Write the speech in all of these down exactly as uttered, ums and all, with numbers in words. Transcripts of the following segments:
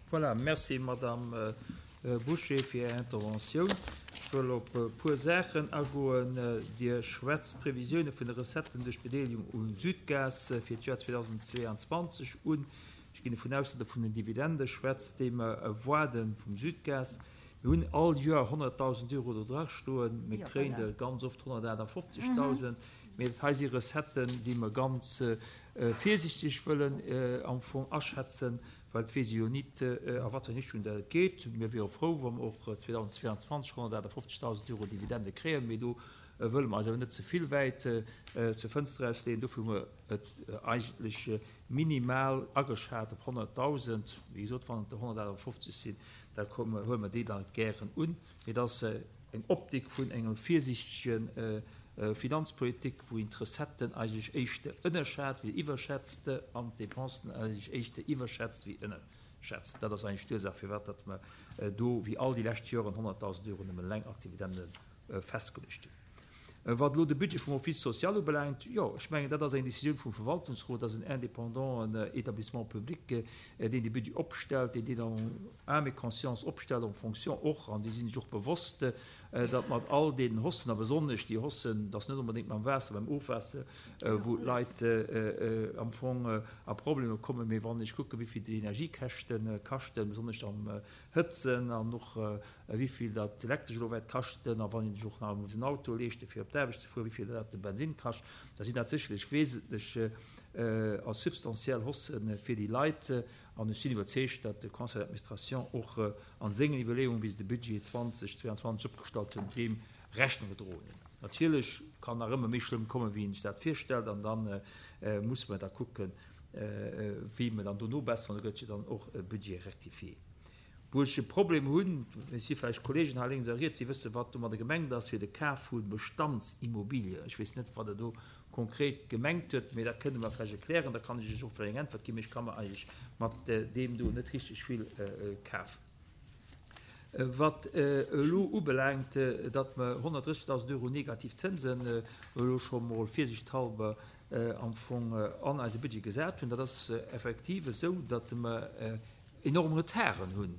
Voilà, merci Madame Bouché fir Är Interventioun. Ech wëll op e puer Saachen agoen. Dir schwätzt d'Previsioune vun de Recetten duerch d'Bedeelegung u Sudgaz fir d'Joer zweedausendzweeanzwanzeg un. Ech ginn dovun aus, datt Der vun den Dividende schwätzt, déi mer erwaarde vum Sudgaz. Mir hunn all Joer honnertdausend Euro do drastoen. Mir kréien der ganz oft honnertaachtafoffzegdausend. Mee dat hei si Recetten, déi mer ganz virsiichteg wëllen am Fong aschätzen, well et weess ee jo nit, a wat fir eng Richtung dat et geet. Mir wiere frou, wa mer och zweedausendzweeanzwanzeg honnertaachtafoffzegdausend Euro Dividende kréien, mee do wëlle mer eis awer net ze vill wäit zur Fënster ausleeën. Dofir hu mer et eigentlech minimal ageschat op honnertdausend. Wéi gesot, wann et der honnertaachtafoffzeg sinn, da huele mer déi da gären un. Mee et ass eng Optik vun enger virsiichtege Finanzpolitik, wou een d'Recetten eigentlech éischter ënnerschat wéi iwwerschätzt an d'Depensen eigentlech éischter iwwerschätzt wéi ënnerschätzt. Dat ass eigentlech d'Ursaach, firwat datt mer do, wéi all déi lescht Joren, honnertdausend Euro nëmmen eleng als Dividende festgeluecht hunn. Wat elo de Budget vum Office social ubelaangt, jo, ech mengen, dat ass eng Décisioun vum Verwaltungsrot, dat ass en indépendant Établissement public, deen dee Budget opstellt, deen deen en âme et conscience opstellt, en fonction och, an déi sinn sech och bewosst, datt mat all deenen Haussen, a besonnesch déi Haussen, dat ass net onbedéngt mam Waasser, beim Ofwaasser, wou d'Leit am Fong a Problemer kommen, mee wann ech kucken, wéi vill déi Energiekäschte kaschten, besonnesch am Hëtzen an och wéi vill dat Elektresch elo wäert kaschten, a wann een sech och nach muss en Auto leeschten, fir op d'Aarbecht ze fueren, wéi vill dat de Bensinn kascht, da sinn dat sécherlech wesentlech a substantiell Haussë fir déi Leit. An ech sinn iwwerzeegt, datt de Conseil d'administration och a sengen Iwwerleeungen, wéi se de Budget zweedausendzweianzwanzeg opgestallt hunn, deem Rechnung gedroen hunn. Natierlech kann nach ëmmer méi schlëmm kommen, wéi een sech dat virstellt, an da musse mer da kucken, wéi mer dann do nobesseren. Do gëtt jo dann och e Budget rectifié. Wou ech e Problem hunn, et si vläicht Kollegen hei lénks a riets, déi wëssen, wat domadder gemengt ass, fir de Kaf vu Bestandsimmobilien. Ech weess net, wat Der do konkret gemengt hutt, mee dat kënnt Der mer vläicht erklären, da kann ech Iech och vläicht eng Äntwert ginn. Mee ech ka mer eigentlech mat deem do net richteg vill kafen. Wat elo ubelaangt, datt mer honnertdrëssigdausend Euro negativ Zënsen elo scho mol virsiichthalber am Fong an eise Budget gesat hunn, dat ass effektiv esou, datt mer enorm Retarden hunn,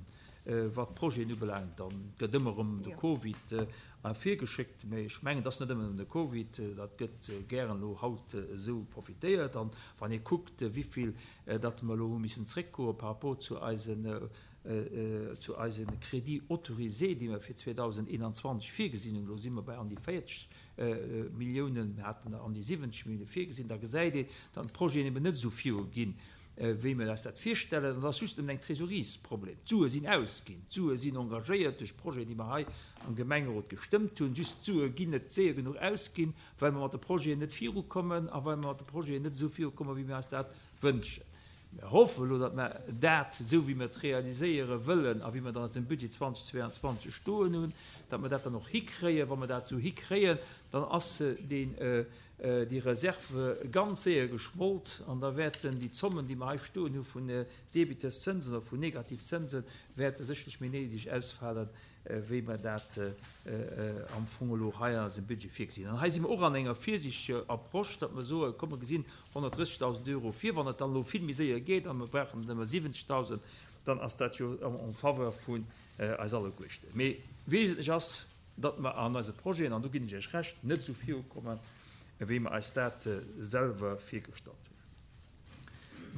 wat d'Projeten ubelaangt. Dann gëtt ëmmer erëm de Covid ervirgeschéckt, mä ech mengen, et ass net ëmmer nëmmen de Covid, dat gëtt gären elo haut esou profitéiert. An wann ee kuckt, wéivill datt mer elo hu missen zréckgoe par rapport zu eisen, zu eise Crédits autorisés, déi mer fir zweedausendeenanzwanzeg virgesinn hunn, elo si mer bei an déi véierzeg Milliounen, mir haten der an déi siwwenzeg Millioune virgesinn, da gesäit een, datt d'Projeten eben net esou viruginn, wéi mir eis dat virstellen. An et ass just nëmmen eng Trésoreries-Problem. D'Sue sinn ausginn, d'Sue sinn engagéiert duerch Projeten, déi mer hei am Gemengerot gestëmmt hunn. Just d'Sue ginn net séier genuch ausginn, well mer mat de Projeten net virukommen a well mer mat de Projeten net esou virukommen, wéi mir eis dat wënschen. Mir hoffen elo, datt mer dat, esou wéi mer et realiséiere wëllen a wéi mer et an eisem Budget zweedausendzweianzwanzeg stoen hunn, datt mer dat dann och hikréien. Wa mer dat esou hikréien, dann ass deen déi Reserve ganz séier geschmolt an da wäerten déi Zommen, déi mer hei stoen hu vun Débiteurszinsen oder vun Negativzinsen, wäerte sécherlech méi niddreg ausfalen, wéi mer dat am Fong elo hei an eisem Budget virgesinn. An hei si mer och an enger virsiichteger Approche, datt mer soen, komm mer gesinn honnertdrëssigdausend Euro vir, wann et dann elo vill méi séier geet a mer brauchen nëmme siwwenzegdausend, dann ass dat jo en faveur vun eis alleguerten. Mee wesentlech ass, datt mer an eise Projeten, an do ginn ech Iech Recht, net esou virukommen, wéi mer eis dat selwer virgestallt hunn.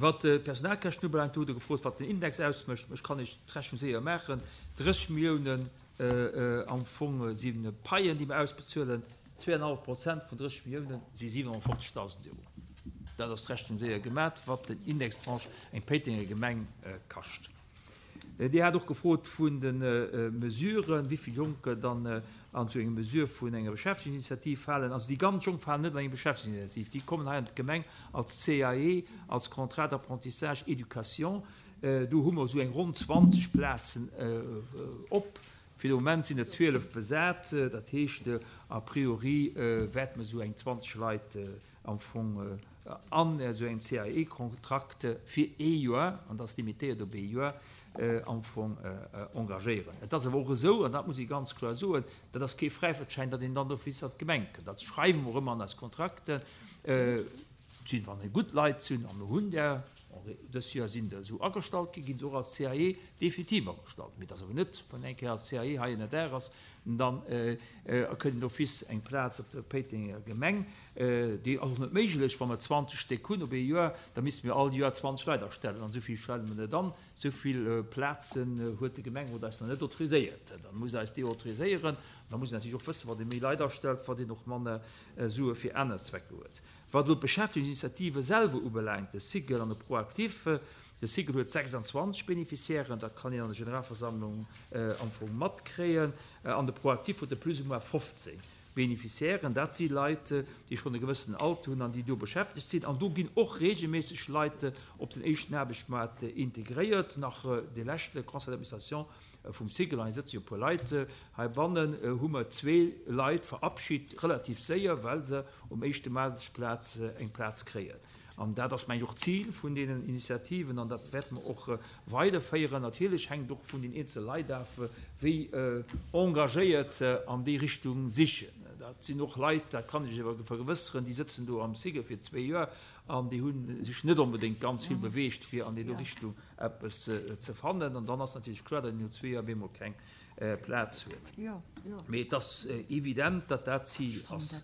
Wat d'Personalkäschten ubelaangt, do hutt Der gefrot, wat den Index ausmécht. Ech kann Iech d'Rechnung séier maachen. Drësseg Milliounen am Fong si Paien, déi mer ausbezuelen. Zweeanenhallef Prozent vun drësseg Milliounen si siwenhonnertfofzegdausend Euro. Dat ass d'Rechnung séier gemat, wat den Indextranche eng Péitenger Gemeng kascht. Dir hat och gefrot vun de Mesuren, wéi vill Jonker dann an esou eng Mesure vun enger Beschäftegungsinitiativ falen. Also déi ganz Jonk falen net an eng Beschäftegungsinitiativ. Déi kommen hei an d'Gemeng als C A E, als Contrat d'apprentissage éducation. Do hu mer esou eng ronn zwanzeg Plazen op. Fir de Moment sinn der zwielef besat. Dat heescht, a priori wäerte mer esou eng zwanzeg Leit am Fong an esou engem C A E-Kontrakt fir ee Joer, an dat ass limitéiert op ee Joer, am Fong engagéieren. Et ass awer och esou, an dat muss ee ganz kloer soen, dat ass kee Fräifaartschäin, datt een dann d'office an d'Gemeng kënnt. Dat schreiwe mer och ëmmer an eis Kontrakten. Sinn, wann et gutt Leit sinn, a mir hunn där en Bon, dës Joer sinn der esou agestallt ginn, ginn se och als C A E definitiv agestallt. Mee et ass awer net, wann eng Kéier als C A E hei en R ass, dann kënnt d'office eng Plaz op der Péitenger Gemeng. Déi ass och net méiglech, wa mer zwanzeg Stéck hunn op ee Joer, da misste mir all Joer zwanzeg Leit astellen. An esou vill stelle mer net an. Esou vill Plazen huet de Gemengerot eis nach net autoriséiert. Da muss eis déi autoriséieren. Da muss een natierlech och wëssen, wann ee méi Leit astellt, wat een och manner Sue fir aner Zwecker huet. Wat elo d'Beschäftegungsinitiative selwer ubelaangt, de SIGEL an de ProActif, de SIGEL huet sechsandzwanzeg Bénéficiairen, dat kann een an der Generalversammlung am Fong matkréien, an de ProActif huet e plus ou moins fofzéng Bénéficiairen. Dat si Leit, déi schonn e gewëssenen Alter hunn an déi do beschäftegt sinn. An do ginn och regelméisseg Leit op den éischten Aarbechtsmaart integréiert. Nach de leschte Conseil d'administration vum SIGEL, an hei sëtze jo e puer Leit heibannen, hu mer zwee Leit verabschit, relativ séier, well se um éischten Aarbechtsplaz eng Plaz kréien. An dat ass, meng ech, och d'Zil vun deenen Initiativen an dat wäerte mer och weiderféieren. Natierlech hänkt och vun den eenzele Leit af, wéi engagéiert se an déi Richtung sichen. Dat sinn och Leit, dat kann ech awer vergewësseren, déi sëtzen do am SIGEL fir zwee Joer an déi hu sech net onbedéngt ganz vill beweegt, fir an déi do Richtung eppes ze fannen. An dann ass natierlech kloer, datt een no zwee Joer op eemol keng Plaz huet. Mee et ass evident, datt dat d'Zil ass.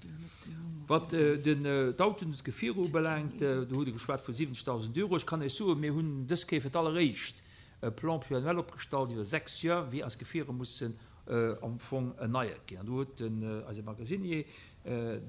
Wat d'Autoen, des Gefierer ubelaangt, do hutt Der geschwat vu siwwenzegdausend Euro. Ech kann Iech soen, mir hunn dës Kéier fir d'alleréischt e Plan pluriannuel opgestallt iwwer sechs Joer, wéi eis Gefierer mussen am Fong erneiert ginn. An do huet den eise Magasinier,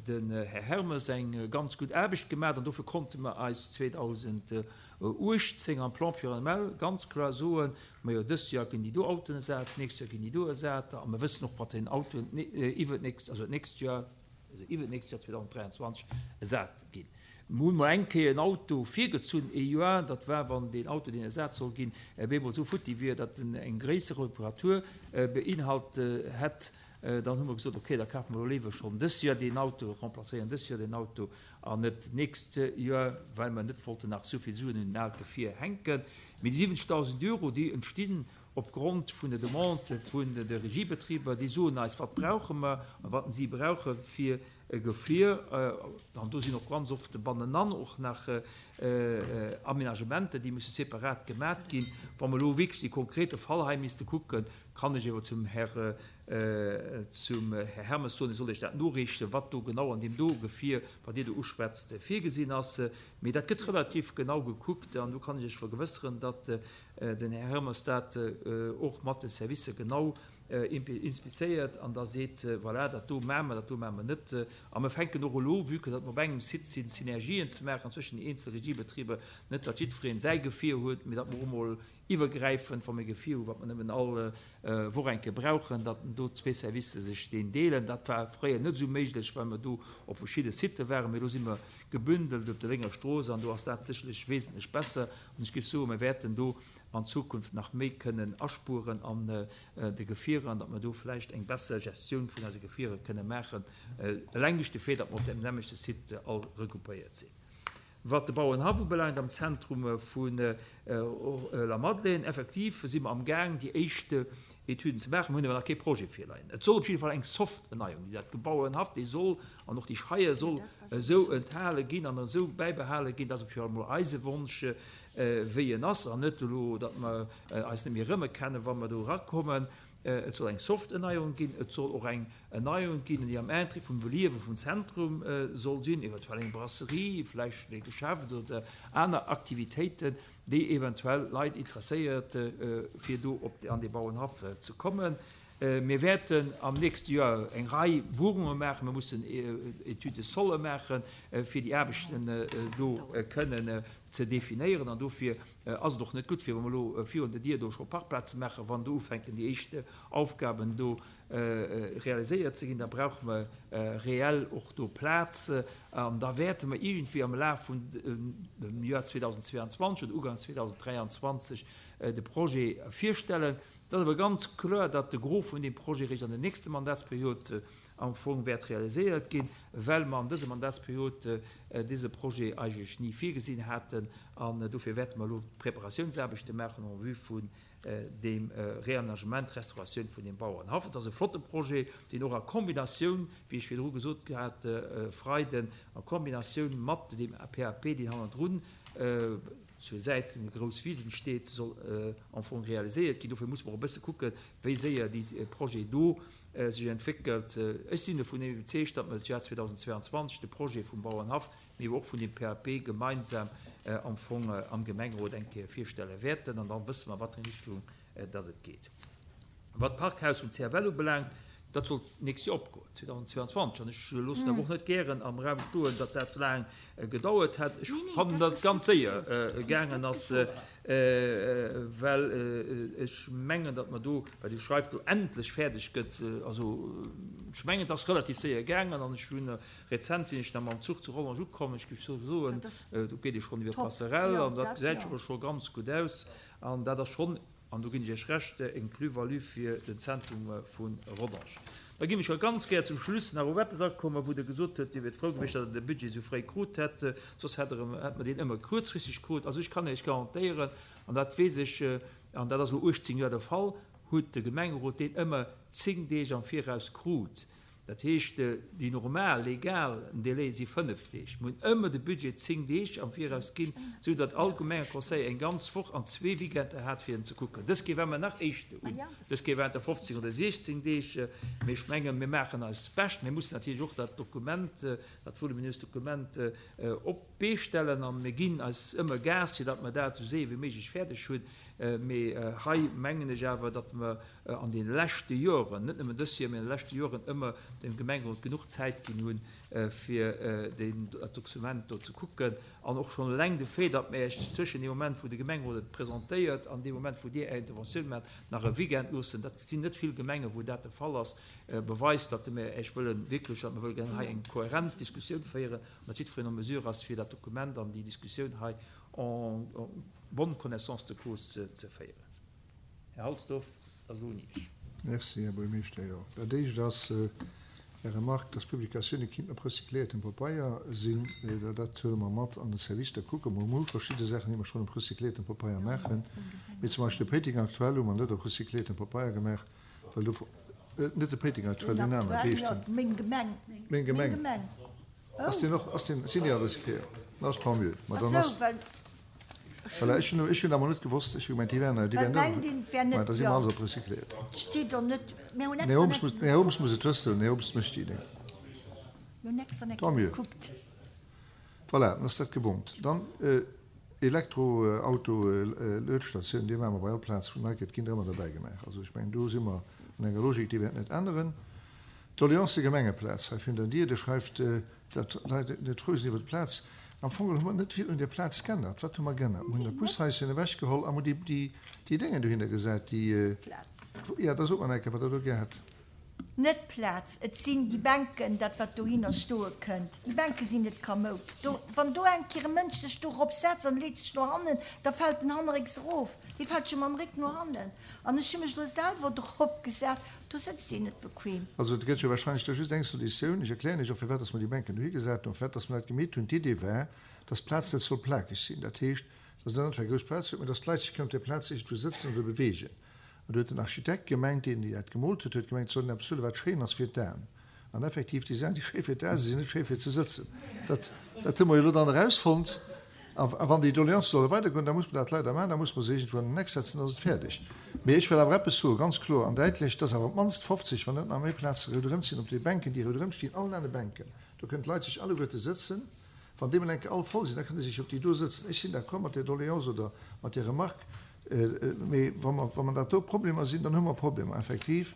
den Här Hermes, eng ganz gutt Aarbecht gemaach. An dofir konnte mer eis zweedausenduechtzéng am Plan pluriannuel ganz kloer soen, majo, dëst Joer ginn déi do Autoen ersat, d'nächst Joer ginn déi do ersat. A mer wëssen och, wat den Autoen iwwert d'nächst, also d'nächst Joer, also iwwert d'nächst Joer zweedausenddräianzwanzeg ersat ginn. Mir hunn mol eng Kéier en Auto virgezunn, ee Joer, dat war, wann deen Auto, deen ersat soll ginn, op eemol esou futti wier, datt en eng gréisser Reparatur beinhalt hätt. Dann hu mer gesot, okay, da kafe mer elo léiwer schonn dës Joer deen Auto, remplacéieren dës Joer deen Auto an net d'nächst Joer, well mer net wollten nach esou vill Suen un den aalt Gefier hänken. Mee déi siwwenzegdausend Euro, déi entstinn opgrond vun der Demande vun de Regiebetriber, déi soen eis, wat brauche mer a wat si brauche fir e Gefier. An do sinn och ganz oft bannenan och nach Aménagementer, déi musse separat gemat ginn. Wa mer elo wierklech dee konkrete Fall hei misste kucken, kann ech awer zum Här, zum Här Hermes soen, e soll Iech dat noreechen, wat do genau an deem do Gefier, wat Dir do uschwätzt, virgesinn ass. Mee dat gëtt relativ genau gekuckt an do kann ech Iech vergewësseren, datt den Här Hermes dat och mat de Servicer genau inspizéiert an da seet, voilà, dat do maache mer, dat do maache mer net. A mer fänken och elo, vue que datt mer op engem Site sinn, Synergien ze maachen zwëschen den eenzele Regiebetriber, net datt jiddwereen säi Gefier huet, mee datt mer och emol iwwergräifend, wa mer e Gefier hu wat mer nëmmen all Woch eng Kéier brauchen, datt do zwee Servicer sech deen deelen. Dat war fréier net esou méiglech, well mer do op verschidde Sitë waren, mee elo si mer gebündelt op der Lénger Strooss an do ass dat sécherlech wesentlech besser. An ech géif soen, mer wäerten do an Zukunft nach méi kënnen aspueren an de Gefierer an datt mer do vläicht eng besser Gestioun vun eise Gefierer kënne maachen, eleng duerch de Fait, datt mer op deem nämmlechte Site all regroupéiert sinn. Wat de Bauerenhaff ubelaangt am Zentrum vu Lamadelaine, effektiv si mer amgaang déi éischt Etüden ze maachen. Mer hunn awer nach kee Projet virleien. Et soll op jidde Fall eng soft Erneiung ginn. Dat Bauerenhaff, dee soll, an och déi Scheie soll esou enthale ginn an esou bäibehale ginn, dat ass op jidde Fall emol eise Wonsch, wéi en ass, an net elo, datt mer eis net méi erëmerkennen, wa mer do erakommen. Et soll eng soft Erneuerung ginn, et soll och eng Erneuerung ginn, déi am Interêt vum Beliewe vum Zentrum soll sinn, eventuell eng Brasserie, vläicht e Geschäft oder aner Aktivitéiten, déi eventuell Leit interesséiert, fir do op an dee Bauernhaff ze kommen. Mir wäerten am nächste Joer eng Rei Buerunge maachen. Mir mussen Études de sol maachen, fir déi Aarbechten do kënnen ze definéieren. An dofir ass et och net gutt, fir wa mer elo virun der Dier do scho Parkplaze maachen, wann do ufänken déi éischt Aufgaben do realiséiert ze ginn, da brauche mer reell och do Plaz. An da wäerte mer iergendwéi am Laf vun dem Joer zweedausendzweianzwanzeg oder Uganks zweedausenddräianzwanzeg de Projet virstellen. Et ass awer ganz kloer, datt de Gros vun deem Projet eréischt an der nächster Mandatsperiod am Fong wäert realiséiert ginn, well mer an dëser Mandatsperiod dëse Projet eigentlech ni virgesinn haten. An dofir wäerte mer elo d'Preparatiounsaarbechte maachen en vue vun deem Réaménagement, Restauratioun vun deem Bauernhaff. Et ass e flotte Projet, deen och a Kombinatioun, wéi ech virdru gesot hat, Freiden, a Kombinatioun mat deem P A P, deen hannendrun zur Säit eng grouss Wiss entsteet, soll am Fong realiséiert ginn. Dofir muss mer och e bësse kucken, wéi séier dee Projet do sech entwéckelt. Ech sinn dovun iwwerzeegt, datt mer d'Joer zweedausendzweianzwanzeg de Projet vum Bauernhaff, mee och vun dem P A P gemeinsam am Fong am Gemengerot eng Kéier virstelle wäerten. An dann wësse mer, wat fir eng Richtung datt et geet. Wat d'Parkhaus vum C F L ubelaangt, dat soll nächstes Jahr opgoen, zweedausendzweianzwanzeg. An ech loossen awer och net gären am Raum stoen, datt dat so laang gedauert hat. Ech fand, datt ganz séier gaangen ass, well ech mengen, datt man do, well Dir schreift, do endlech fäerdeg gëtt. Also, ech mengen, dat ass relativ séier gaangen an ech hunn rezent sinn ech nach mam Zuch zu Rodange ukomm. Ech géif so soen, do geet ee schonn iwwer d'Passerelle an dat gesäit scho ganz gutt aus. An dat ass schonn, an do ginn ech Iech recht, eng Plus-value fir den Zentrum vun Rodange. Da ginn ech ganz gär zum Schluss nach op etwas akommen, wou der gesot huet, Dir wiert frou gewiescht, datt der de Budget so fréi krut hätt, soss hätt er, hätt man den ëmmer kuerzfristeg krut. Also ich kann Iech garantéieren, an dat weess ech, an dat ass lo achtzehn Joer der Fall, huet de Gemengerot den ëmmer zéng Deeg am Viraus krut. Dat heescht, déi normal, legal Délai si fënnef Deeg. Mir hunn ëmmer de Budget zéng Deeg am Viraus ginn, sou datt all Gemengeconseil eng ganz Woch an zwee Weekender hat, fir en ze kucken. Dës Kéier war mer nach éischter un. Dës Kéier waren der fofzéng oder siechzéng Deeg. Mee ech mengen, mir maachen eis Bescht. Mir mussen natierlech och dat Dokument, dat voluminöst Dokument, op d'Bee stellen an mir ginn eis ëmmer Gas, fir datt mer dat so séier wéi méiglech fäerdeg hunn. Mee hei mengen ech awer, datt mer an den leschte Joren, net nëmmen dës Joer, mee an den leschte Joren ëmmer dem Gemengerot genuch Zäit ginn hunn, fir den, dat Dokument do ze kucken. An och schon eleng de Fait, datt mir iech zwëschen dem Moment, wou de Gemengerot et presentéiert, an dem Moment, wou Dir Är Interventioun macht, nach e Weekend loossen. Dat sinn net vill Gemenge, wou dat de Fall ass, beweist, datt mir iech wëllen wierklech, datt mir wëllen hei eng kohärent Diskussioun féieren, an datt jiddwereen en mesure ass, fir dat Dokument an déi Diskussioun hei en, en bonne connaissance de cause ze féieren. Här Halsdorf, das lohnt nicht. Merci, Herr Buergermeeschter. Ja. Dat éischt ass, Är Remarque, dass Publikatioune kinnt op recycléiertem Papeier sinn, dat huele mer mat an den Service, da kucke mer mol verschidde Saachen, déi mer schonn op recycléiertem Papeier maachen. Mee zum Beispill de Péiteng aktuell hu mer net op recycléiertem Papeier gemaach, well do net de Péiteng aktuell, den Namen, wéi heescht den? Meng Gemeng. Meng Gemeng. Meng Gemeng. Ass deen och, ass deen, sinn déi all recycléiert? Na, ass tant mieux. Ma dann Ach ass so, well Voilà, ech hunn, ech hunn awer net gewosst, ech hu gemeint, déi wären, déi Well wären mein net Ding wär net, Ma, da si mer ja. alles op recycléiert. Steet doch net, mir hunn Nee, extra Holmes net muss, nee, Holmes muss et wëssen, nee, Holmes mécht déi Idee. Mir hunn extra net Tant mieux. gekuckt. Voilà, dann ass dat gebongt. Dann, äh, Elektroauto, äh, Luedstatioun, déi maache mer bei all Plaz vun Nike, ginn ëmmer derbäi gemaach. Also ech mengen, do si mer an enger Logik, déi wäert net änneren. D'Doleance Gemengeplaz, hei finnt Dir, der schreift, äh, dat Leit net frou sinn iwwer d'Plaz. Am Fong hu mer net vill un der Plaz geännert. Wat hu mer geännert? Mir hunn dat Bushäuschen ewechgeholl a déi, déi, déi Dinge dohinner gesat, déi, äh, Plaz. Ja, da sot man enke, wat der do gehat. Net Plaz, et sinn déi Bänken, dat wat dohinner stoe kënnt. Déi Bänke sinn net kamoud. Do, wann do eng Kéier e Mënsch sech dorop setzt an leet sech no hannen, da fält den Hannerrécks erof. Dee fält scho mam Réck no hannen. An ech hu mech do selwer drop gesat, do sëtzt een net bequem. Also et gëtt jo wahrscheinlech da just eng Solutioun. Ech erklären Iech och, firwat, dass mer déi Bänken dohi gesat hunn, firwat, dass mer dat gemeet hunn. D'Idee war, dass d'Plaz net soll plakeg sinn. Dat heescht, dass net einfach eng grouss Plaz huet, mee dass d'Leit sech kënnen op der Plaz irgendwo sëtzen oder bewegen. An do huet den Architekt gemengt, deen dat gemoolt huet, huet gemengt, et soll eppes huelen, wat schéin ass fir d'Aen. An effektiv, déi Saachen, déi schéi fir d'Aen sinn, sinn net schéi fir ze sëtzen. Dat, dat hu mer jo lo dann erausfonnt. A, a wann déi Doleance solle weitergoen, da muss man dat leider maachen, da muss man se irgendwo an den Eck setzen, dann ass et fäerdeg. Mee ech wëll awer eppes soen, ganz kloer an däitlech, dass awer op d'mannst fofzeg, wann net nach méi Plaze ronderëm sinn, op de Bänken, déi ronderëm stinn, allen anere Bänken. Do kënnen d'Leit sech alleguerte sëtzen. Wann deemol enke all voll sinn, da kënnen se sech op déi do sëtzen. Ech sinn d'accord mat der Doleance oder mat der Remarque, mee wann mer, wann mer dat do Problemer sinn, dann hu mer Problemer, effektiv.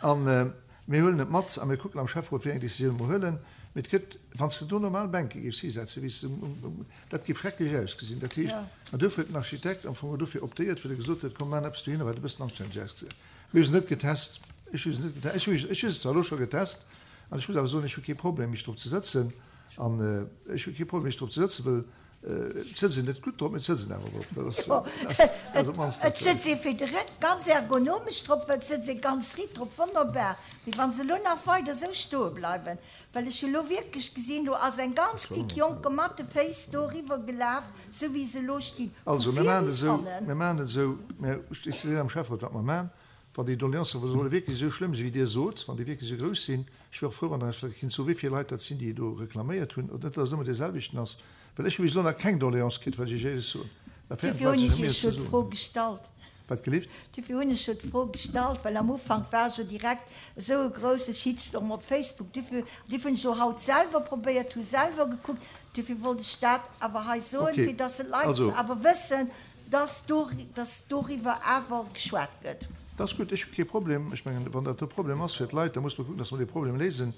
An, äh, mir huelen et mat a mir kucken am Schäfferot, wéi eng Decisioun mer huelen. Mee et gëtt, wann s du do normal Bänke géifs hisetzen, wéi s du um, um, um, dat géif schrecklech ausgesinn. Dat heescht, Ja. an dofir huet den Architekt am Fong dofir optéiert, well er gesot huet, komm, maan eppes dohinner, wat e bëssen anstänneg ausgesinn. Mir hu se net getest. Ech hu se net getest. Ech hu, ech hu se zwar elo scho getest, an ech muss awer soen, ech hu kee Problem, mech drop ze sëtzen. An, äh, ech hu kee Problem, mech drop ze sëtzen, well, äh, et sëtzt een net gutt drop, mee et sëtzt een awer drop. Dat ass, Ja. dat ass, dat ass op d'mannst Et dat. sëtzt ee fir de Réck ganz ergonomesch drop, well et sëtzt ee ganz riit drop, wonnerbar. Mee wann se lo nach weider sou stoe bleiwen, well ech hu lo wierklech gesinn, do ass eng ganz klick Jonke mat de Féiss do riwwer gelaf, sou wéi se lo stinn. Vu Also, mir vir maachen et bis esou, hannen. mir maachen et esou, mir, ech sinn am Schäfferot, wat mer maachen, wann déi Doleancen solle wierklech esou schlëmm sinn, wéi Dir sot, wann déi wierklech esou grouss sinn, ech wär och frou, wann der vläicht kinnt soen, wéi vill Leit dat sinn, déi do reklaméiert hunn, oder net, dass et ëmmer dee selwechten ass. Well ech hu bis elo nach keng Doleance kritt, well ech Iech éierlech soen. Da fäerten Dofir d'Leit hunn sech ech ëm Iech eis jo ze d'Fro soen. gestallt. Wat gelift? Dofir hunn ech jo d'Fro gestallt, well am Ufank war jo direkt esou e grousse Shitstorm op Facebook. Dofir, dofir hunn ech jo haut selwer probéiert, hu selwer gekuckt. Dofir wollt ech dat awer hei soen, Okay. fir dass d'Leit Also. awer wëssen, dass dor, dass doriwwer awer geschwat gëtt. Dat ass gutt, ech hu kee Problem. Ech mengen, wann dat e Problem ass fir d'Leit, da muss mer kucken, dass mer dee Problem léisen.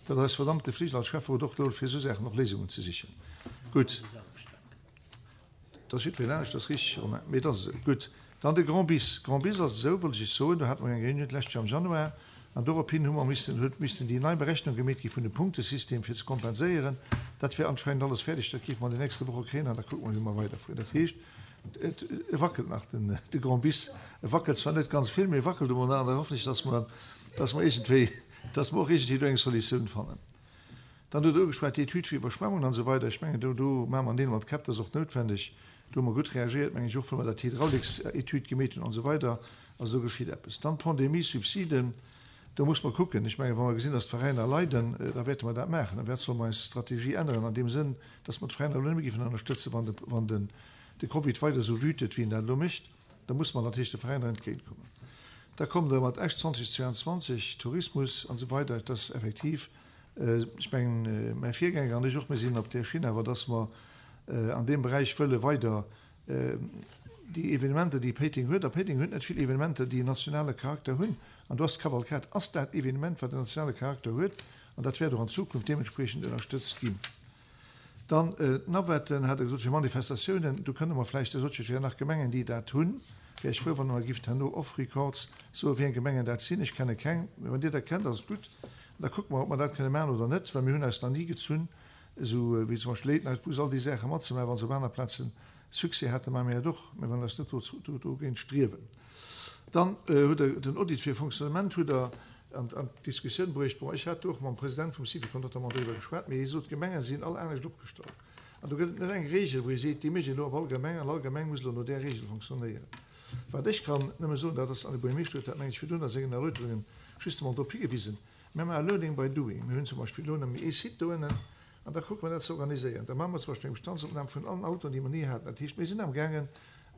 Dat ass eis verdammte Flicht als Schäfferot och do, fir esou Saachen och Léisungen ze sichen. Gutt. Dat ass jiddwereen anescht, dat ass richteg, Romain. Mee dat ass esou. Gutt. Dann de Grand Bis. Grand Bis ass esou, wollt ech Iech soen, do hate mer eng Réunioun d'lescht Joer am Januar an dorophin hu mer missen, huet missen déi nei Berechnung gemeet gi vun dem Punktesystem fir ze kompenséieren. Dat wär anscheinend alles fäerdeg, dat géife mer an den nächste Woche kréien an da kucke mer, wéi mer weiderfueren. Dat heescht, et, e wackelt nach, den, de Grand Bis. E wackelt zwar net ganz vill, mee e wackelt emol nach an da hoffen ech, dass mer, dass mer iergendwéi, dass mer och iergendwéi do eng Solutioun fannen. Dann hutt Der ugeschwat, déi Etüd fir Iwwerschwemmungen an esou weider. Ech mengen, do, do maache mer Neel mat Käpp, dat ass och noutwendeg. Do hu mer gutt reagiert, mengen ech, och well mer dat Hydrauliksetüd gemeet hunn an esou weider. Also do geschitt eppes. Dann d'Pandemie-Subsiden, do muss mer kucken. Ech mengen, wa mer gesinn, dass d'Veräiner leiden, da wäerte mer dat maachen. Da wäert solle mer eis Strategie änneren an deem Sënn, dass mer d'Veräiner elo net méi géifen ënnerstëtzen, wann de, wann den, de Covid weider esou wütet, wéi en dat elo mécht. Da muss mer natierlech de Veräiner entgéintkommen. Da kommt Der mat Esch zweitausendzweiundzwanzeg, Tourismus an esou weider. Dat ass effektiv, ech mengen, mäi Virgänger an ech och, mir sinn op där Schinn awer, dass mer an deem Beräich wëlle weider déi Evenementer, déi Péiteng huet, a Péiteng huet net vill Evenementer, déi en nationale Charakter hunn, an do ass d'Kavalkad, ass dat Evenement, wat en nationale Charakter huet, an dat wäert och an Zukunft deementspriechend ënnerstëtzt ginn. Dann d'Navetten, hat Der gesot, fir Manifestatiounen, do kënne mer vläicht, der sot jo, et wieren nach Gemengen, déi dat hunn. Wär ech frou, wann Der mer gift herno off records soen, wéi eng Gemengen dat sinn. Ech kenne keng, mee wann Dir der kennt, ass et gutt. Da kucke mer, ob mer dat kënne maachen oder net, well mir hunn eis nach ni gezunn, esou wéi zum Beispill Late Night Bus, all déi Saache matzemaachen, wa se op aner Plazen Succès haten, maache mir dat och, mä wann eis net dogéint striewen. Dann hutt Der den Audit fir Fonctionnement hutt Der an d'Diskussioun bruecht. Bon, ech hat do och mam President vum Syvicol notamment doriwwer geschwat, mee hie sot, d'Gemenge sinn all anescht opgestallt. An do gëtt et net eng Regel, wou ee seet, déi mécht een elo op all Gemeng an all Gemeng muss elo no där Regel fonctionnéieren. Wat ech kann nëmme soen, dat ass, an de Buergermeeschter huet dat, meng ech, virdrun a sengen Erläuterungen justement drop higewisen, mir maache Learning by doing. Mir hunn zum Beispill elo nëmme ee Site doënnen an da kucke mer dat ze organiséieren. Da maache mer zum Beispill eng Bestandsopnam vun allen Autoen, déi mer ni haten. Dat heescht, mir sinn amgaangen,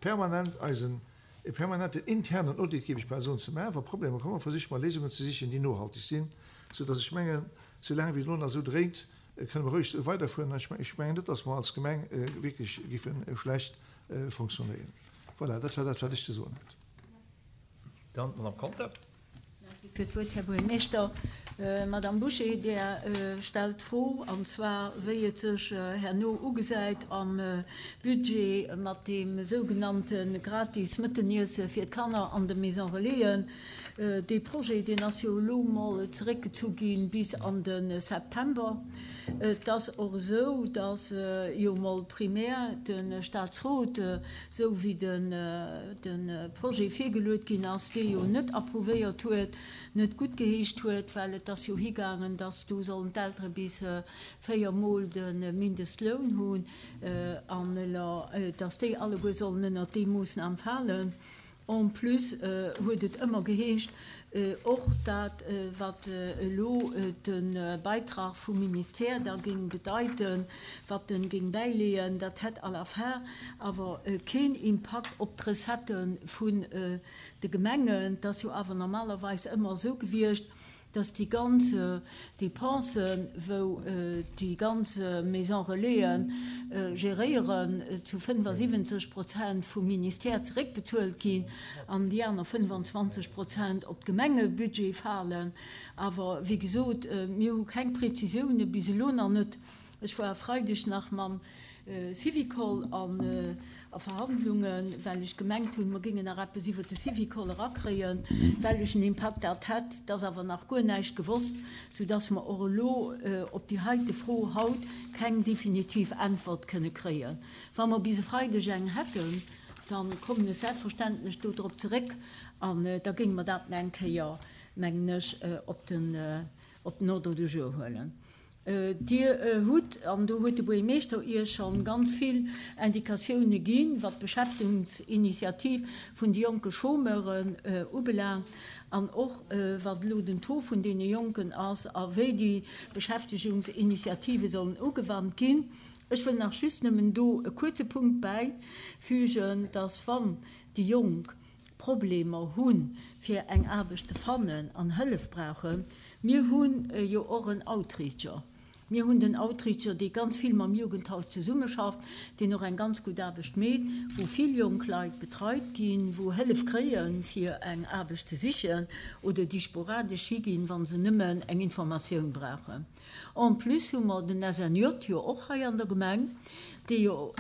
permanent eisen, e permanenten internen Audit, géif ech bal soen, ze maachen. Wa Problemer kommen, versiche mer Léisungen ze sichen, déi nohalteg sinn, soudass ech mengen, soulaang wéi et elo nach esou dréint, kënne mer roueg esou weiderfueren. Ech mengen net, dass mer als Gemeng wierklech géife schlecht fonctionnéieren. Voilà, dat war dat, wat ech ze soen hat. Dann d'Madame Conter. Merci fir d'Wuert, Här Buergermeeschter. Madame Bouché, Dir stellt d'Fro, an zwar wéi et sech herno ugesäit am Budget mat deem sougenannte gratis Mëtteniesse fir d'Kanner an de Maison Relaisen. Dee Projet, deen ass jo elo mol zeréckgezu gi bis an de September. Et ass och esou, datt jo mol primär de Staatsrot, esou wéi de Projet virgeluet ginn ass, dee jo net approuvéiert huet, net guttgeheescht huet, well et ass jo higaangen, datt do sollen d'Eltere bis véier Mol de Mindestloun hunn an datt déi alleguer sollen ënnert déi Moossnam falen. En plus huet et ëmmer geheescht, och dat, wat elo de Beitrag vum Ministère da géing bedeiten, wat en géing bäileeën, dat hätt à la fin awer keen Impakt op d'Recettë vun de Gemengen. Et ass jo awer normalerweis ëmmer esou gewiescht, dass déi ganz Dépensen, wou déi ganz Maisons Relaisen geréieren, zu fënnfasiwwenzeg Prozent vum Ministère zeréckbezuelt ginn an déi aner fënnefanzwanzeg Prozent op d'Gemengebudget falen. Awer wéi gesot, mir hu keng Prezisioune bis elo nach net. Ech war e Freideg nach mam Syvicol a Verhandlungen, well ech gemengt hunn, mer géingen nach eppes iwwert de Syvicol erakréien, wellechen Impakt dat hätt. Et ass awer nach guer näischt gewosst, soudass mer och elo op déi heite Fro haut keng definitiv Äntwert kënne kréien. Wa mer bis e Freideg eng hätten, da kommen ech selbstverständlech do drop zeréck an da géinge mer dat nach eng Kéier, mengen ech, op den Ordre du jour huelen. Dir hutt, an do huet de Buergermeeschter Iech scho ganz vill Indikatioune ginn, wat d'Beschäftigungsinitiativ vun de jonke Chômeuren ubelaangt an och wat elo den Taux vun deene Jonken ass a wéi déi Beschäftigungsinitiative sollen ugewannt ginn. Ech wëll nach just nëmmen do e kuerze Punkt bäifügen, dass wann déi Jonk Problemer hunn, fir eng Aarbecht ze fannen an Hëllef brauchen, mir hu jo och en Outreacher. Mir hunn den Outreacher, dee ganz vill mam Jugendhaus zesummeschafft, deen och eng ganz gutt Aarbecht meet, wou vill jonk Leit betreit ginn, wou Hëllef kréien, fir eng Aarbecht ze sichen oder déi sporadesch higinn, wa se nëmmen eng Informatioun brauchen. En plus hu mer den S N J jo och hei an der Gemeng, dee jo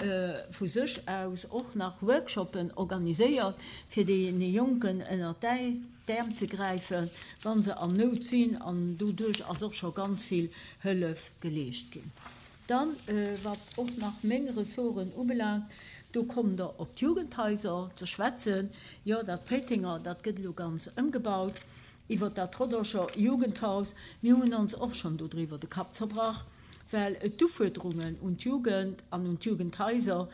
vu sech aus och nach Workshoppen organiséiert, fir deene Jonken ënnert d'Äerm ze gräifen, wa se an Nout sinn, an doduerch ass och scho ganz vill Hëllef geleescht ginn. Dann, wat och nach meng Ressorten ubelaangt, do kommt Der op d'Jugendhaiser ze schwätzen. Jo, dat Péitenger, dat gëtt elo ganz ëmgebaut. Iwwert dat Rodangener Jugendhaus, mir hunn ons och schonn dodriwwer de Kapp zerbrach, well d'Ufuerderungen un d'Jugend an un d'Jugendhaiser,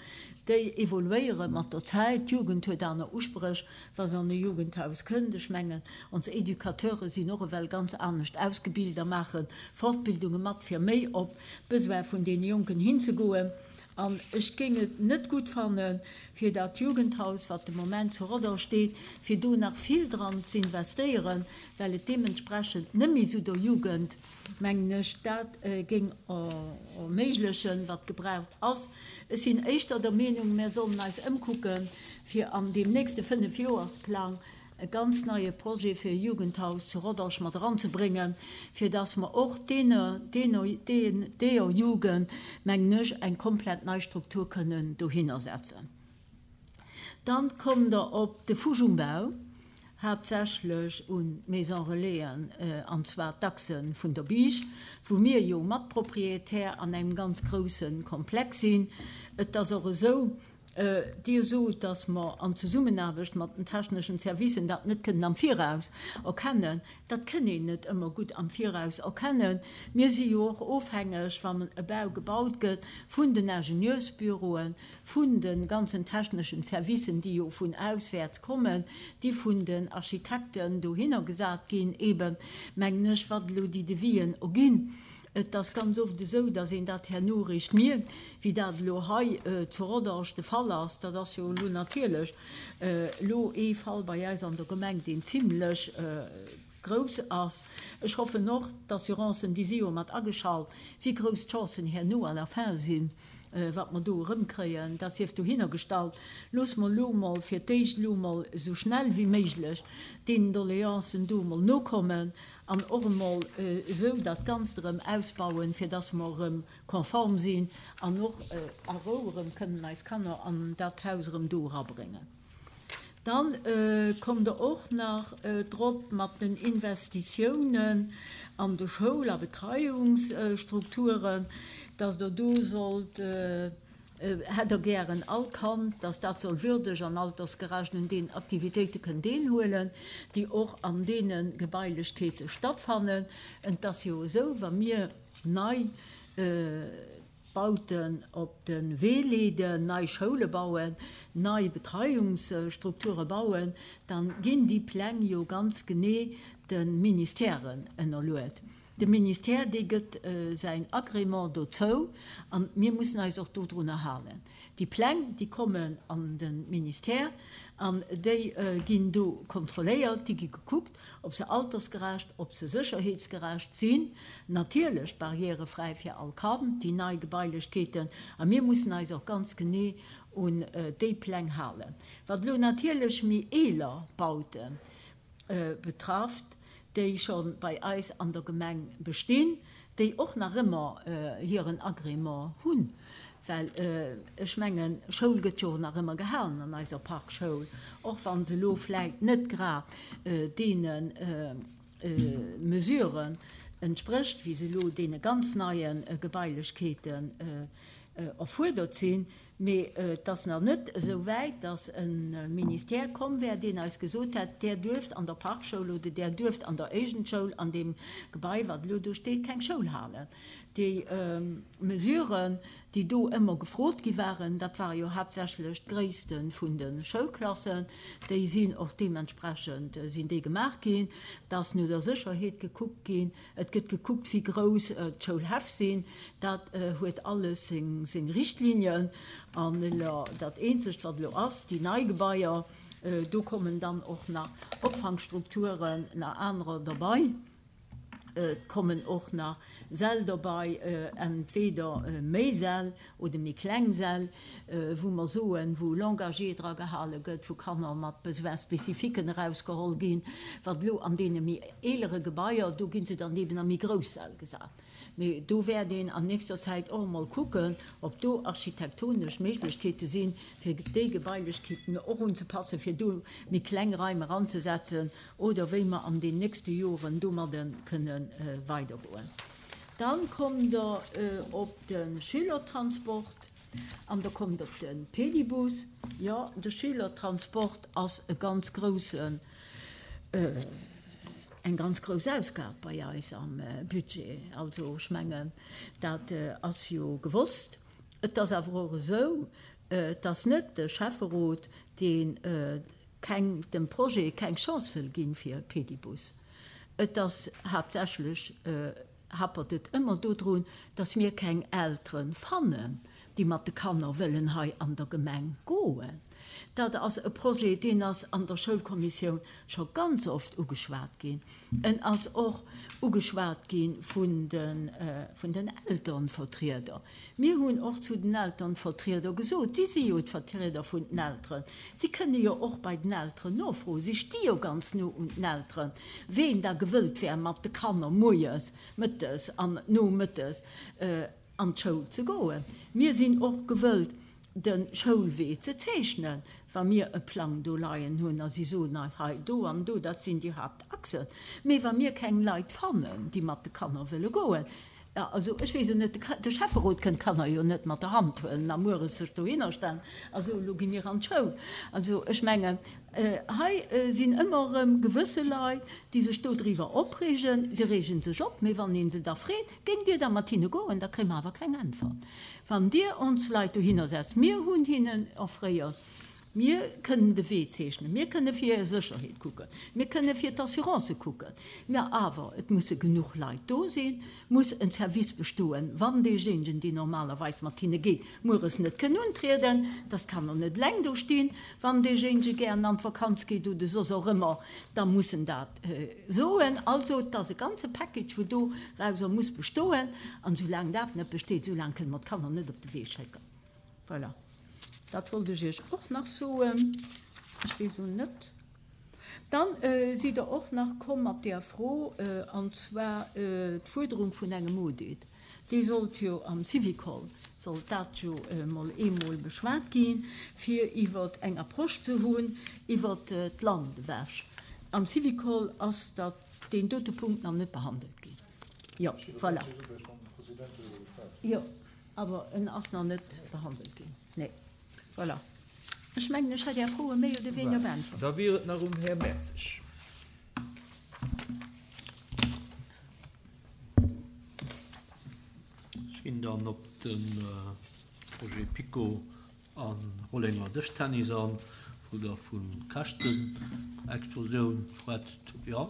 déi evoluéiere mat der Zäit. D'Jugend huet aner Uspréch, wa se an e Jugendhaus kënnt. Ech mengen, ons Educateure sinn och ewell ganz anescht ausgebilt a maache Fortbildunge mat, fir méi op d'Besoin vun deene Jonken hinzegoen. An ech géing et net gutt fannen, fir dat Jugendhaus, wat de Moment zu Rodange steet, fir do nach vill dran z'investéieren, well et deementsprechend net méi esou der Jugend, mengen ech, dat géing erméiglechen, wat gebraucht ass. Ech sinn éischter der Meenung, mär sollen eis ëmkucken, fir an deem nächste Fënnefjoersplang e ganz neie Projet fir e Jugendhaus zu Rodange mat eranzebréngen, fir dass mer och deene, deene, deeër Jugend, mengen ech, eng komplett nei Struktur kënnen dohinner setzen. Dann kommt Der op de Fugenumbau, haaptsächlech un d'Maison Relaisen, an zwar d'Achse vun der Biischt, wou mir jo Matpropriétaire an engem ganz grousse Komplex sinn. Et ass och esou, Dir sot, dass mer an Zesummenaarbecht mat den techneschen Servicen dat net kënnen am Viraus erkennen. Dat kënn een net ëmmer gutt am Viraus erkennen. Mir si jo och ofhängeg, wann e Bau gebaut gëtt, vun den Ingenieursbüroen, vun de ganzen techneschen Servicen, déi jo vun auswäerts kommen, déi vun den Architekten dohinner gesat ginn, eeben, mengen ech, wat elo déi Devisen erginn. Et ass ganz oft esou, dass een dat herno eréischt mierkt, wéi dat elo hei zu Rodange de Fall ass. Dat ass jo elo natierlech elo ee Fall bei eis an der Gemeng, deen zimlech grouss ass. Ech hoffen och, d'Assurancen, déi si jo mat ageschalt, wéi grouss d'Chancen herno à la fin sinn, wat mer do erëmkréien, dat sief dohinner gestallt. Loosse mer elo emol fir d'éischt elo emol esou schnell wéi méiglech deenen Doleancen do emol nokommen an och emol esou dat Ganzt erëm ausbauen, fir dass mer erëm konform sinn an och a Rou erëm kënnen eis Kanner an dat Haus erëm do erabréngen. Dann kommt Der och nach drop mat den Investitiounen an de Schoul a Betreiungsstrukturen, dass Der do sollt, hätt Der gären all Kand, dass dat soll würdeg an altersgerecht un deenen Aktivitéite kënn deelhuelen, déi och an deene Gebailechkeete stattfannen. Et ass jo esou, wa mir nei Bauten op de Wee leeden, nei Schoule bauen, nei Betreiungsstrukture bauen, da ginn déi Pläng jo ganz genee de Ministèren ënnerluet. De Ministère, dee gëtt säin Agrément dozou a mir mussen eis och dodrunner halen. Déi Pläng, déi kommen an de Ministère an déi ginn do kontrolléiert, déi gi gekuckt, ob se altersgerecht, ob se sécherheetsgerecht sinn, natierlech barrièrefräi fir all Kand, déi nei Gebailechkeeten. A mir mussen eis och ganz genee un déi Pläng halen. Wat elo natierlech méi eeler Baute betrafft, déi scho bei eis an der Gemeng bestinn, déi och nach ëmmer hiren Agrément hunn, well ech mengen, Schoul gëtt jo och nach ëmmer gehalen an eiser Parkschoul, och wa se elo vläicht net grad deene Mesuren entsprécht, wéi se elo deene ganz neie Gebailechkeeten erfuerdert sinn. Mee et ass nach net esou wäit, datt e Ministère komm wär, deen eis gesot hätt, Där duerft an der Parkschoul oder där duerft an der Éigendschoul an deem Gebai, wat elo do steet, keng Schoul halen. Déi Mesuren, déi do ëmmer gefrot gi waren, dat ware jo haaptsächlech d'Gréisste vun de Schoulklassen, déi sinn och deementsprechend sinn déi gemaach ginn, et ass no der Sécherheet gekuckt ginn, et gëtt gekuckt, wéi grouss d'Schoulhäff sinn, dat huet alles seng seng Richtlinien. An elo dat eenzegt, wat elo ass, déi nei Gebaier, do kommen dann och nach Opfangstrukturen, nach anerer derbei. Et kommen och nach Säll derbei, entweder méi Säll oder méi kleng Säll, wou mer soen, wou Langagier dra gehale gëtt, wou Kanner mat Besoins spécifiquen erausgeholl ginn. Wat elo an deene méi eelere Gebaier, do gi se dann eben a méi grouss Säll gesat. Mee do wäert een an nächster Zäit och emol kucken, ob do architektonesch Méiglechkeete sinn, fir déi Gebailechkeeten och unzepassen, fir do méi kleng Raim eranzesetzen oder wéi mer an den nächste Joren domadde kënne weidergoen. Dann kommt Der op de Schülertransport an Der kommt op de Pedibus. Jo, de Schülertransport ass e ganz groussen, eng ganz grouss Ausgab bei eis am Budget. Also ech mengen, dat ass jo gewosst. Et ass awer och esou, et ass net de Schäfferot, dee keng, dem Projet keng Chance wëll ginn fir e Pedibus. Et ass haaptsächlech, happert et ëmmer dodrun, dass mir keng Eltere fannen, déi mat de Kanner wëllen hei an der Gemeng goen. Dat ass e Projet, deen ass an der Schoulkommissioun scho ganz oft ugeschwat ginn. En ass och ugeschwat gi vun de, vun den Elternvertrieder. Mir hunn och zu den Elternvertrieder gesot, si si jo d'Vertrieder vun den Elteren, si kënne jo och bei den Elteren nofroen, si sti jo ganz no un den Elteren, ween da gewëllt wär, mat de Kanner moies, mëttes an nomëttes an d'Schoul ze goen. Mir sinn och gewëllt, de Schoulwee ze zeechnen, wa mir e Plang do leien hunn a si soen eis, hei do an do, dat sinn déi Haaptachsen. Mee wa mir keng Leit fannen, déi mat de Kanner wëlle goen, also ech weess jo net, de Schäfferot kënnt d'Kanner jo net mat der Hand huelen a mueres sech dohinner stellen a soen, elo gi mir an d'Schoul. Also ech mengen, hei sinn ëmmer erëm gewësse Leit, déi sech dodriwwer opreegen. Si reege sech op, mee wann ee se da freet, Géingt Dir da mat hinne goen, da kréie mer awer keng Äntwert. Wann Dir ons Leit dohinner setzt, mir hunn hinnen offréiert, mir kënnen de Wee zeechnen, mir kënne fir hir Sécherheet kucken, mir kënne fir d'Assurancë kucken, mä awer et musse genuch Leit do sinn, muss en Service bestoen, wann deejéinegen, deen normalerweis mat hinne geet, mueres net kënn untrieden, dass d'Kanner net eleng do stinn. Wann deejéinege gären an d'Vakanz geet oder soss och ëmmer, da muss en dat soen. Also, et ass e ganze Package, wou dorauser muss bestoen. An soulaang dat net besteet, soulaang kënne mer d'Kanner net op de Wee schécken. Voilà. Dat wollt ech Iech och nach soen. Ech weess elo net. Dann sidd Der och nach komm mat där Fro, an zwar d'Fuerderung vun engem Audit. Dee sollt jo am Syvicol, sollt dat jo emol eemol beschwat ginn, fir iwwer eng Approche ze hunn iwwert d'Land ewech. Am Syvicol ass dat, deen dote Punkt nach net behandelt ginn. Jo, voilà. Jo, awer en ass nach net behandelt ginn. Nee. Voilà. Ech mengen, ech hätt Är Froe méi oder wéineger beäntwert. Da wier et nach um Här Mertzig. Ech ginn dann op de Projet PiKo a Rollenger Dëschtennis an, wou Der vu Käschtenexplosioun schwätzt. Jo,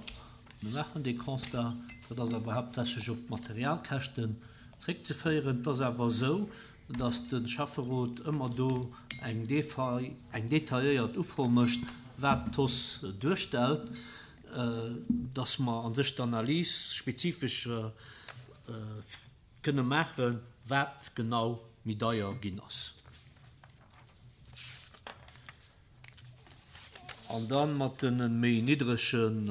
mir maachen dee Constat. Dat ass awer haaptsächlech op d'Materialkäschten zréckzeféieren. Et ass awer esou, dass de Schäfferot ëmmer do eng detailléiert Ufro mécht, wat d'Hausse duerstellt, dass mer a sech d'Analys spezifesch kënne maachen, wat genau méi deier ginn ass. An da mat de méi niddregen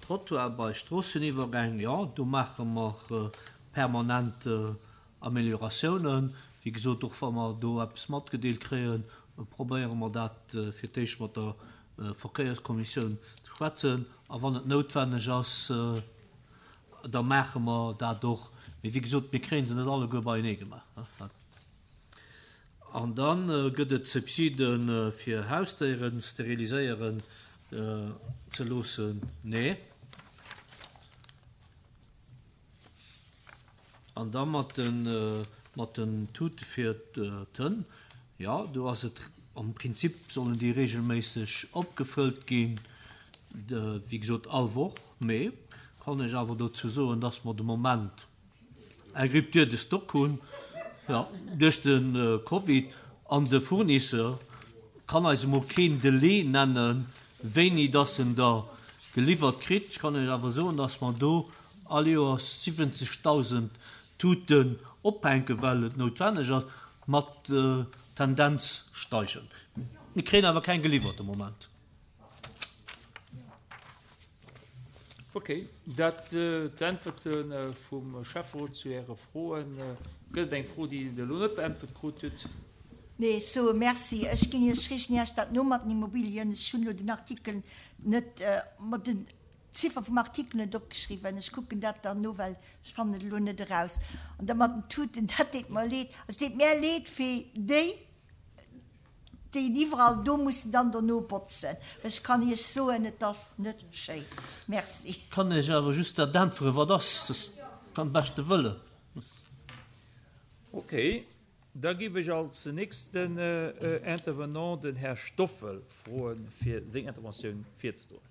Trottoire bei Stroosseniwwergäng, jo, do maache mer permanent Amelioratiounen. Wéi gesot, och wa mer do eppes matgedeelt kréien, probéiere mer dat fir d'éischt mat der Verkéierskommissioun ze schwätzen. A wann et noutwenneg ass, da maache mer dat och. Mee wéi gesot, mir kréie se net alleguer beienee gemaach. An da gëtt et Subside fir Hausdéieren steriliséieren ze loossen. Nee. An da mat den Mat den Tute fir d'Hënn, jo, do ass et am Prinzip sollen déi regelméisseg opgefëllt ginn, wéi gesot all Woch. Mee kann ech awer dozou soen, dass mer de Moment eng Rupture de stock hunn, jo, duerch de Covid, an de Fournisseur kann eis emol keen Delai nennen, wéini dass en der geliwwert kritt. Ech kann Iech awer soen, dass mer do all Joers siwwenzegtausend Tuten ophänken, well et noutwenneg ass, mat Tendenz steigend. Mir kréien awer keng geliwwert de Moment. Ok, dat d'Äntwerte vum Schäfferot zu Äre Froen. Gëtt et eng Fro, déi Der elo net beäntwert krut hutt? Nee, ech soe Merci. Ech ginn Iech riicht Iech dat no mat den Immobilien. Ech hunn elo den Artikel net, mer den d'Ziffer vum Artikel net opgeschriwwen. Ech kucken dat dann no, well ech fannen et elo net eraus. An da mat den Tuten, dat deet mer leed. Also et deet mär leed fir déi, déi iwwerall do mussen dann dono botzen. Ech kann Iech soen, et ass net schéi. Merci. Kann Iech awer just dat äntweren, wat ass. Dat beim beschte Wëllen. Ok, da géif ech als nächsten Intervenant den Här Stoffel froen, fir seng Interventioun virzedroen.